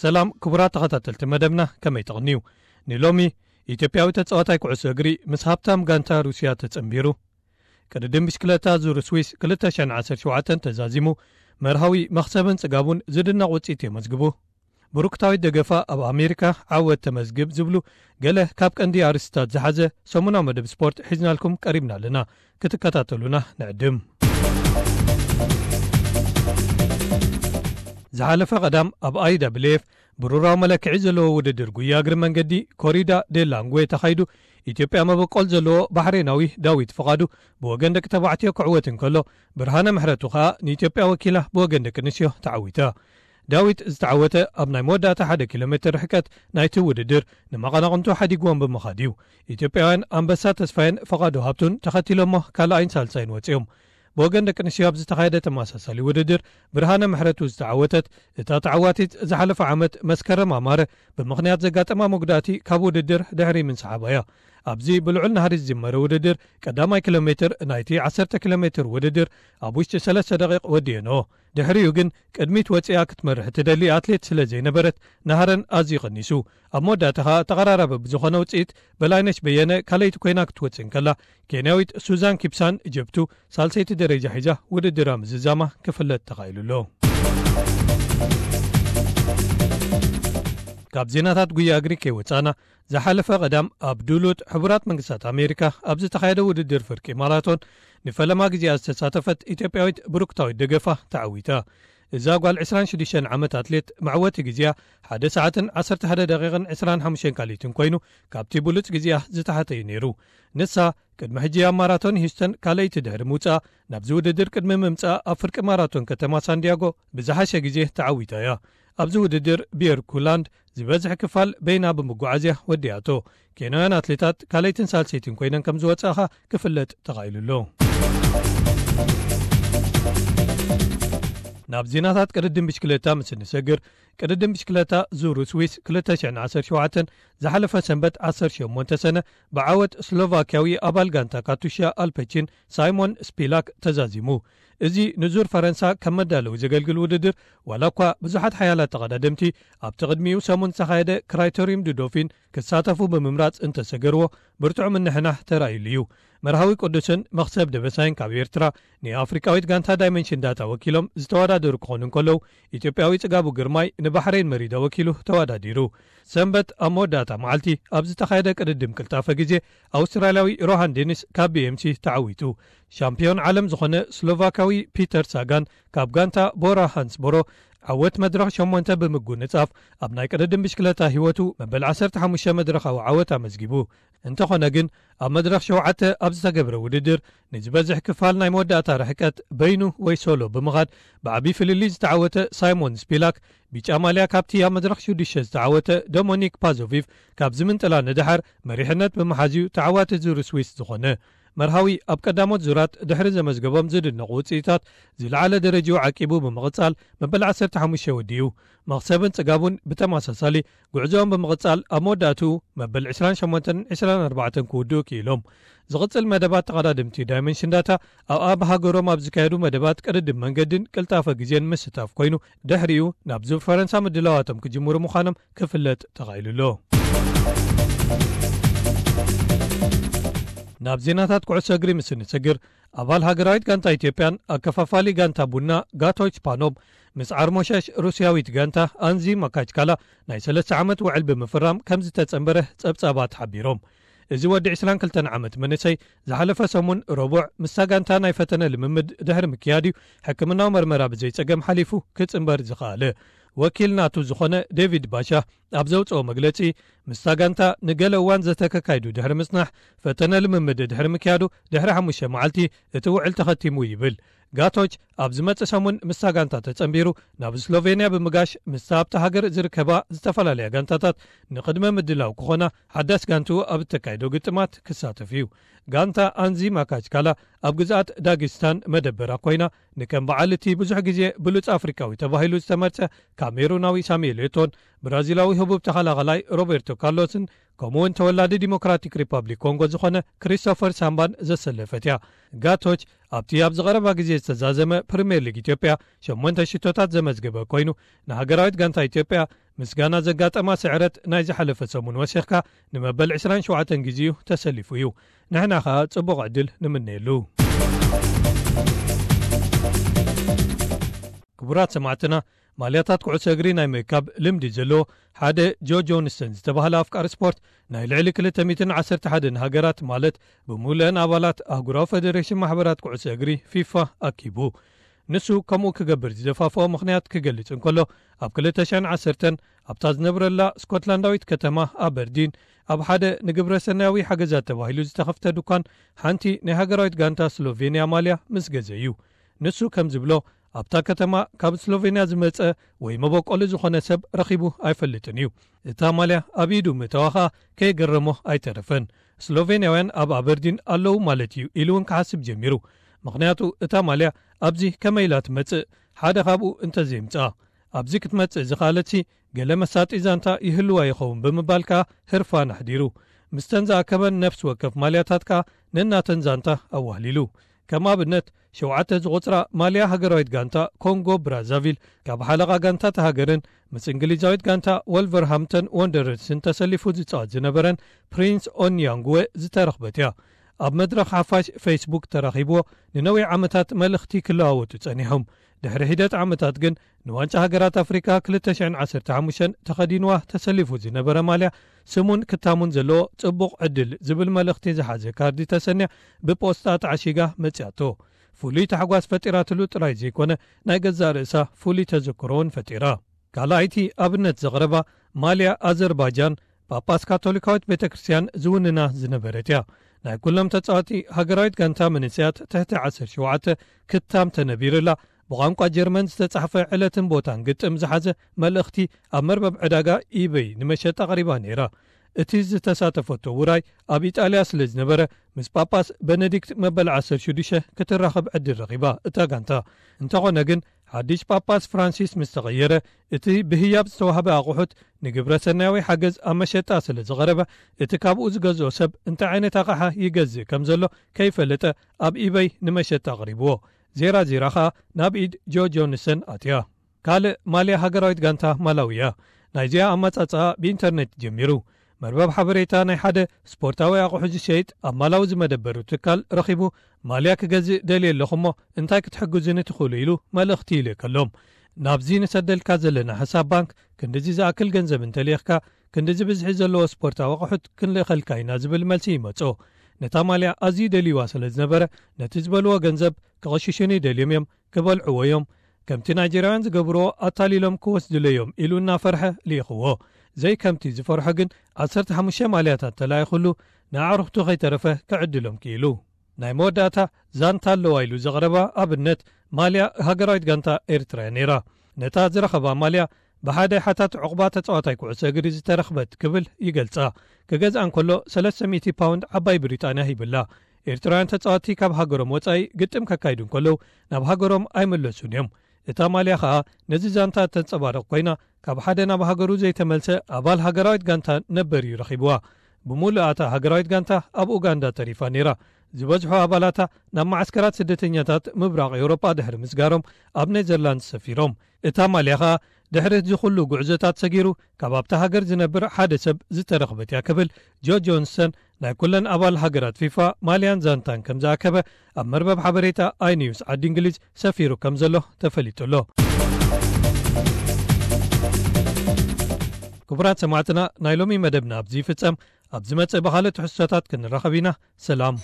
ሰላም ክቡራት ተኸታተልቲ መደብና፣ ከመይ ተቕንዩ? ንሎሚ ኢትዮጵያዊ ተጻዋታይ ኩዕሶ እግሪ ምስ ሃብታም ጋንታ ሩስያ ተጸንቢሩ። ቅድድም ብሽክለታ ዙር ስዊስ ክልተ ሽሕን ዓሰርተ ሸውዓተን ተዛዚሙ፣ መርሃዊ መኽሰብን ጽጋቡን ዝድነቕ ውጽኢት የመዝግቡ። ብሩክታዊት ደገፋ ኣብ ኣሜሪካ ዓወት ተመዝግብ ዝብሉ ገለ ካብ ቀንዲ ኣርእስታት ዝሓዘ ሰሙናዊ መደብ ስፖርት ሒዝናልኩም ቀሪብና ኣለና። ክትከታተሉና ንዕድም። ዝሓለፈ ቀዳም ኣብ ኣይዳብልኤፍ ብሩራዊ መለክዒ ዘለዎ ውድድር ጉያ እግሪ መንገዲ ኮሪዳ ዴላንጉዌ ተኻይዱ፣ ኢትዮጵያ መበቆል ዘለዎ ባሕሬናዊ ዳዊት ፍቓዱ ብወገን ደቂ ተባዕትዮ ክዕወት እንከሎ፣ ብርሃነ ምሕረቱ ኸኣ ንኢትዮጵያ ወኪላ ብወገን ደቂ ኣንስትዮ ተዓዊታ። ዳዊት ዝተዓወተ ኣብ ናይ መወዳእታ ሓደ ኪሎ ሜትር ርሕቀት ናይቲ ውድድር ንመቐናቕንቱ ሓዲግዎም ብምኻድ እዩ። ኢትዮጵያውያን ኣንበሳ ተስፋየን ፍቓዱ ሃብቱን ተኸቲሎሞ ካልኣይን ሳልሳይን ወጺኦም። ብወገን ደቂ ኣንስትዮ ኣብ ዝተኻየደ ተመሳሳሊ ውድድር ብርሃነ ምሕረቱ ዝተዓወተት እታ ተዓዋቲት ዝሓለፈ ዓመት መስከረም ኣማረ ብምኽንያት ዘጋጠማ መጉዳእቲ ካብ ውድድር ድሕሪ ምንስሓባ እያ። ኣብዚ ብልዑል ናህሪ ዝጅመረ ውድድር ቀዳማይ ኪሎ ሜትር ናይቲ ዓሰርተ ኪሎ ሜትር ውድድር ኣብ ውሽጢ ሰለስተ ደቂቕ ወዲኤንኦ። ድሕሪኡ ግን ቅድሚት ወጺኣ ክትመርሕ ትደሊ ኣትሌት ስለ ዘይነበረት ናህረን ኣዝዩ ቀኒሱ። ኣብ መወዳእታ ኸኣ ተቐራራቢ ብዝኾነ ውጽኢት በላይነሽ በየነ ካልኣይቲ ኮይና ክትወጽእ እንከላ፣ ኬንያዊት ሱዛን ኪፕሳን ጀብቱ ሳልሰይቲ ደረጃ ሒዛ ውድድራ ምዝዛማ ክፍለጥ ተኻኢሉ ኣሎ። ካብ ዜናታት ጉያ እግሪ ከይወጻና፣ ዝሓለፈ ቀዳም ኣብ ዱሉት ሕቡራት መንግስታት ኣሜሪካ ኣብ ዝተኻየደ ውድድር ፍርቂ ማራቶን ንፈለማ ግዜኣ ዝተሳተፈት ኢትዮጵያዊት ብሩክታዊት ደገፋ ተዓዊታ። እዛ ጓል ዕስራን ሽዱሽተን ዓመት ኣትሌት መዕወቲ ግዜኣ ሓደ ሰዓትን ዓሰርተ ሓደ ደቂቕን ዕስራን ሓሙሽተን ካልኢትን ኮይኑ፣ ካብቲ ብሉጽ ግዜኣ ዝተሓተ እዩ ነይሩ። ንሳ ቅድሚ ሕጂ ኣብ ማራቶን ሂውስተን ካልኣይቲ ድሕሪ ምውጻእ፣ ናብዚ ውድድር ቅድሚ ምምጻእ ኣብ ፍርቂ ማራቶን ከተማ ሳንዲያጎ ብዝሓሸ ግዜ ተዓዊታ እያ። ኣብዚ ውድድር ቢየር ኩላንድ ዝበዝሕ ክፋል በይና ብምጓዓዝያ ወዲኣቶ። ኬንያውያን ኣትሌታት ካልኣይትን ሳልሰይትን ኮይነን ከም ዝወጻእኻ ክፍለጥ ተኻኢሉ ኣሎ። ናብ ዜናታት ቅድድም ብሽክለታ ምስ እንሰግር፣ ቅድድም ብሽክለታ ዙር ስዊስ ክልተ ሽሕን ዓሰርተ ሸውዓተን ዝሓለፈ ሰንበት ዓሰርተ ሸሞንተ ሰነ ብዓወት ስሎቫክያዊ ኣባል ጋንታ ካቱሻ ኣልፐቺን ሳይሞን ስፒላክ ተዛዚሙ። እዚ ንዙር ፈረንሳ ከም መዳለዊ ዘገልግል ውድድር፣ ዋላ እኳ ብዙሓት ሓያላት ተቐዳደምቲ ኣብቲ ቅድሚኡ ሰሙን ዝተኻየደ ክራይቶሪም ዱዶፊን ክሳተፉ ብምምራጽ እንተሰገርዎ፣ ብርቱዕ ምንሕናሕ ተራእዩሉ እዩ። መርሃዊ ቅዱስን መኽሰብ ደበሳይን ካብ ኤርትራ ንኣፍሪቃዊት ጋንታ ዳይመንሽን ዳታ ወኪሎም ዝተወዳደሩ ክኾኑ እንከለዉ፣ ኢትዮጵያዊ ጽጋቡ ግርማይ ንባሕሬን መሪዳ ወኪሉ ተወዳዲሩ። ሰንበት ኣብ መወዳእታ መዓልቲ ኣብ ዝተኻየደ ቅድድም ቅልጣፈ ግዜ፣ ኣውስትራልያዊ ሮሃን ዴኒስ ካብ ቢ ኤም ሲ ተዓዊቱ። ሻምፒዮን ዓለም ዝኾነ ስሎቫካዊ ፒተር ሳጋን ካብ ጋንታ ቦራ ሃንስቦሮ ዓወት መድረኽ ሸሞንተ ብምጉንጻፍ፣ ኣብ ናይ ቅድድም ብሽክለታ ህይወቱ መበል ዓሰርተ ሓሙሽተ መድረኻዊ ዓወት ኣመዝጊቡ። እንተኾነ ግን፣ ኣብ መድረኽ ሸውዓተ ኣብ ዝተገብረ ውድድር፣ ንዝበዝሕ ክፋል ናይ መወዳእታ ርሕቀት በይኑ ወይ ሶሎ ብምኻድ ብዓቢ ፍልልይ ዝተዓወተ ሳይሞን ስፒላክ፣ ብጫ ማልያ ካብቲ ኣብ መድረኽ ሽዱሽተ ዝተዓወተ ዶሞኒክ ፓዞቪቭ ካብ ዝምንጥላ ንደሓር መሪሕነት ብምሓዝዩ ተዓዋቲ ዙር ስዊስ ዝኾነ። መርሃዊ ኣብ ቀዳሞት ዙራት ድሕሪ ዘመዝገቦም ዝድነቑ ውጽኢታት ዝለዓለ ደረጃኡ ዓቂቡ ብምቕጻል መበል ዓሰርተ ሓሙሽተ ወዲኡ። መኽሰብን ጽጋቡን ብተመሳሳሊ ጉዕዞኦም ብምቕጻል ኣብ መወዳእትኡ መበል ዕስራን ሸሞንተን ዕስራን ኣርባዕተን ክውድኡ ክኢሎም። ዝቕጽል መደባት ተቐዳደምቲ ዳይመንሽን ዳታ ኣብ ኣብ ሃገሮም ኣብ ዝካየዱ መደባት ቅድድም መንገድን ቅልጣፈ ግዜን ምስታፍ ኮይኑ፣ ድሕሪኡ ናብ ዙር ፈረንሳ ምድላዋቶም ክጅምሩ ምዃኖም ክፍለጥ ተኻኢሉ ኣሎ። ናብ ዜናታት ኩዕሶ እግሪ ምስ እንሰግር፣ ኣባል ሃገራዊት ጋንታ ኢትዮጵያን ኣከፋፋሊ ጋንታ ቡና ጋቶች ፓኖም ምስ ዓርሞሸሽ ሩስያዊት ጋንታ ኣንዚ ማካችካላ ናይ ሰለስተ ዓመት ውዕል ብምፍራም ከም ዝተጸንበረ ጸብጻባት ሓቢሮም። እዚ ወዲ ዕስራን ክልተን ዓመት መንእሰይ ዝሓለፈ ሰሙን ረቡዕ ምስታ ጋንታ ናይ ፈተነ ልምምድ ድሕሪ ምክያድ እዩ ሕክምናዊ መርመራ ብዘይጸገም ሓሊፉ ክጽንበር ዝኸኣለ። ወኪል ናቱ ዝኾነ ዴቪድ ባሻ ኣብ ዘውጽኦ መግለጺ፣ ምስታ ጋንታ ንገለ እዋን ዘተከካይዱ ድሕሪ ምጽናሕ፣ ፈተነ ልምምድ ድሕሪ ምክያዱ ድሕሪ ሓሙሽተ መዓልቲ እቲ ውዕል ተኸቲሙ ይብል። ጋቶች ኣብ ዝመጽእ ሰሙን ምስታ ጋንታ ተጸንቢሩ ናብ ስሎቬንያ ብምጋሽ ምስታ ኣብታ ሃገር ዝርከባ ዝተፈላለያ ጋንታታት ንቕድመ ምድላው ክኾና ሓዳስ ጋንትኡ ኣብ እተካይዶ ግጥማት ክሳተፍ እዩ። ጋንታ ኣንዚ ማካችካላ ኣብ ግዝኣት ዳጊስታን መደበራ ኮይና፣ ንከም በዓል እቲ ብዙሕ ግዜ ብሉጽ ኣፍሪቃዊ ተባሂሉ ዝተመርጸ ካሜሩናዊ ሳሙኤል ኤቶን፣ ብራዚላዊ ህቡብ ተኸላኸላይ ሮቤርቶ ካርሎስን ከምኡ እውን ተወላዲ ዲሞክራቲክ ሪፓብሊክ ኮንጎ ዝኾነ ክሪስቶፈር ሳምባን ዘሰለፈት እያ። ጋቶች ኣብቲ ኣብዚ ቀረባ ግዜ ዝተዛዘመ ፕሪምየር ሊግ ኢትዮጵያ ሸሞንተ ሽቶታት ዘመዝገበ ኮይኑ፣ ንሃገራዊት ጋንታ ኢትዮጵያ ምስጋና ዘጋጠማ ስዕረት ናይ ዝሓለፈ ሰሙን ወሲኽካ ንመበል ዕስራን ሸውዓተን ግዜኡ ተሰሊፉ እዩ። ንሕና ኸኣ ጽቡቕ ዕድል ንምነየሉ። ክቡራት ሰማዕትና፣ ማልያታት ኩዕሶ እግሪ ናይ ምእካብ ልምዲ ዘለዎ ሓደ ጆ ጆንስተን ዝተባህለ ኣፍቃሪ ስፖርት ናይ ልዕሊ ክልተ ሚእትን ዓሰርተ ሓደን ሃገራት፣ ማለት ብምሉእን ኣባላት ኣህጉራዊ ፈደሬሽን ማሕበራት ኩዕሶ እግሪ ፊፋ ኣኪቡ። ንሱ ከምኡ ክገብር ዝደፋፍኦ ምኽንያት ክገልጽ እንከሎ፣ ኣብ ክልተ ሽሕን ዓሰርተን ኣብታ ዝነብረላ ስኮትላንዳዊት ከተማ ኣበርዲን ኣብ ሓደ ንግብረ ሰናያዊ ሓገዛት ተባሂሉ ዝተኸፍተ ድኳን ሓንቲ ናይ ሃገራዊት ጋንታ ስሎቬንያ ማልያ ምስ ገዘ እዩ። ንሱ ከም ዝብሎ፣ ኣብታ ከተማ ካብ ስሎቬንያ ዝመጸ ወይ መበቆሊ ዝኾነ ሰብ ረኺቡ ኣይፈልጥን እዩ። እታ ማልያ ኣብ ኢዱ ምእታዋ ኸኣ ከየገረሞ ኣይተረፈን። ስሎቬንያውያን ኣብ ኣበርዲን ኣለዉ ማለት እዩ ኢሉ እውን ክሓስብ ጀሚሩ። ምኽንያቱ እታ ማልያ ኣብዚ ከመይ ኢላ ትመጽእ፣ ሓደ ካብኡ እንተዘይምጽኣ። ኣብዚ ክትመጽእ ዝኸኣለትሲ ገለ መሳጢ ዛንታ ይህልዋ ይኸውን ብምባል ከኣ ህርፋን ኣሕዲሩ። ምስተን ዝኣከበን ነፍሲ ወከፍ ማልያታት ከኣ ነናተን ዛንታ ኣዋህሊሉ። ከም ኣብነት፣ ሸውዓተ ዝቑጽራ ማልያ ሃገራዊት ጋንታ ኮንጎ ብራዛቪል፣ ካብ ሓለቓ ጋንታ እታ ሃገርን ምስ እንግሊዛዊት ጋንታ ወልቨርሃምፕተን ወንደረርስን ተሰሊፉ ዝጻወት ዝነበረን ፕሪንስ ኦንያንጉወ ዝተረኽበት እያ። ኣብ መድረኽ ሓፋሽ ፌስቡክ ተራኺብዎ ንነዊሕ ዓመታት መልእኽቲ ክለዋወጡ ጸኒሖም። ድሕሪ ሒደት ዓመታት ግን ንዋንጫ ሃገራት ኣፍሪካ ክልተ ሽሕን ዓሰርተ ሓሙሽተን ተኸዲንዋ ተሰሊፉ ዝነበረ ማልያ ስሙን ክታሙን ዘለዎ ጽቡቕ ዕድል ዝብል መልእኽቲ ዝሓዘ ካርዲ ተሰንያ ብፖስታ ተዓሺጋ መጺኣቶ። ፍሉይ ታሕጓስ ፈጢራትሉ ጥራይ ዘይኮነ፣ ናይ ገዛእ ርእሳ ፍሉይ ተዘክሮ እውን ፈጢራ። ካልኣይቲ ኣብነት ዘቕረባ ማልያ ኣዘርባጃን ጳጳስ ካቶሊካዊት ቤተ ክርስቲያን ዝውንና ዝነበረት እያ። ናይ ኩሎም ተጻወቲ ሃገራዊት ጋንታ መንእሰያት ትሕቲ ዓሰርተ ሸውዓተ ክታም ተነቢርላ፣ ብቋንቋ ጀርመን ዝተጻሕፈ ዕለትን ቦታን ግጥም ዝሓዘ መልእኽቲ ኣብ መርበብ ዕዳጋ ኢበይ ንመሸጣ ኣቕሪባ ነይራ። እቲ ዝተሳተፈቶ ውራይ ኣብ ኢጣልያ ስለ ዝነበረ፣ ምስ ጳጳስ በነዲክት መበል ዓሰርተ ሽዱሽተ ክትራኸብ ዕድል ረኺባ እታ ጋንታ። እንተኾነ ግን፣ ሓድሽ ጳጳስ ፍራንሲስ ምስ ተቐየረ፣ እቲ ብህያብ ዝተዋህበ ኣቑሑት ንግብረ ሰናያዊ ሓገዝ ኣብ መሸጣ ስለ ዝቐረበ፣ እቲ ካብኡ ዝገዝኦ ሰብ እንታይ ዓይነት ኣቕሓ ይገዝእ ከም ዘሎ ከይፈለጠ ኣብ ኢበይ ንመሸጣ ኣቕሪብዎ። ዜራ ዜራ ኸኣ ናብ ኢድ ጆ ጆንሰን ኣትያ። ካልእ ማልያ ሃገራዊት ጋንታ ማላዊ እያ። ናይዚኣ ኣመጻጽኣ ብኢንተርኔት ጀሚሩ። መርበብ ሓበሬታ ናይ ሓደ ስፖርታዊ ኣቑሑ ዝሸይጥ ኣብ ማላዊ ዝመደበሩ ትካል ረኺቡ፣ ማልያ ክገዝእ ደልየ ኣለኹ እሞ እንታይ ክትሕግዙኒ ትኽእሉ ኢሉ መልእኽቲ ይልእከሎም። ናብዚ ንሰደልካ ዘለና ሕሳብ ባንክ ክንድዚ ዝኣክል ገንዘብ እንተልኢኽካ፣ ክንድዚ ብዝሒ ዘለዎ ስፖርታዊ ኣቑሑት ክንልእኸልካ ኢና ዝብል መልሲ ይመጾ። ነታ ማልያ ኣዝዩ ደልይዋ ስለ ዝነበረ፣ ነቲ ዝበልዎ ገንዘብ ክቕሽሹኒ ደልዮም እዮም፣ ክበልዕዎ እዮም። ከምቲ ናይጀርያውያን ዝገብርዎ ኣታሊሎም ክወስድለዮም ኢሉ እናፈርሐ ልኢኽዎ። ዘይከምቲ ዝፈርሖ ግን ዓሰርተ ሓሙሽተ ማልያታት ተላኢኹሉ ንኣዕሩኽቱ ከይተረፈ ክዕድሎም ክኢሉ። ናይ መወዳእታ ዛንታ ኣለዋ ኢሉ ዘቕረባ ኣብነት ማልያ ሃገራዊት ጋንታ ኤርትራ እያ ነይራ። ነታ ዝረኸባ ማልያ ብሓደ ሓታት ዑቕባ ተጻዋታይ ኩዕሶ እግሪ ዝተረኽበት ክብል ይገልጻ። ክገዝኣ እንከሎ ሰለስተ ሚእቲ ፓውንድ ዓባይ ብሪጣንያ ሂብላ። ኤርትራውያን ተጻወትቲ ካብ ሃገሮም ወጻኢ ግጥም ከካይዱ እንከለዉ ናብ ሃገሮም ኣይምለሱን እዮም። እታ ማልያ ኸኣ ነዚ ዛንታ እተንጸባርቕ ኮይና፣ ካብ ሓደ ናብ ሃገሩ ዘይተመልሰ ኣባል ሃገራዊት ጋንታ ነበር እዩ ረኺብዋ። ብምሉእ እታ ሃገራዊት ጋንታ ኣብ ኡጋንዳ ተሪፋ ነይራ። ዝበዝሑ ኣባላታ ናብ መዓስከራት ስደተኛታት ምብራቕ ኤውሮጳ ድሕሪ ምስጋሮም ኣብ ኔዘርላንድስ ሰፊሮም። እታ ማልያ ኸኣ ድሕሪ እዚ ኩሉ ጉዕዞታት ሰጊሩ ካብ ኣብታ ሃገር ዝነብር ሓደ ሰብ ዝተረኽበት እያ ክብል ጆ ጆንሰን ናይ ኩለን ኣባል ሃገራት ፊፋ ማልያን ዛንታን ከም ዝኣከበ ኣብ መርበብ ሓበሬታ ኣይኒውስ ዓዲ እንግሊዝ ሰፊሩ ከም ዘሎ ተፈሊጡ ኣሎ። ክቡራት ሰማዕትና፣ ናይ ሎሚ መደብና ኣብዚ ይፍጸም። ኣብ ዝመጽእ ብኻልእ ትሕዝቶታት ክንራኸብ ኢና። ሰላም።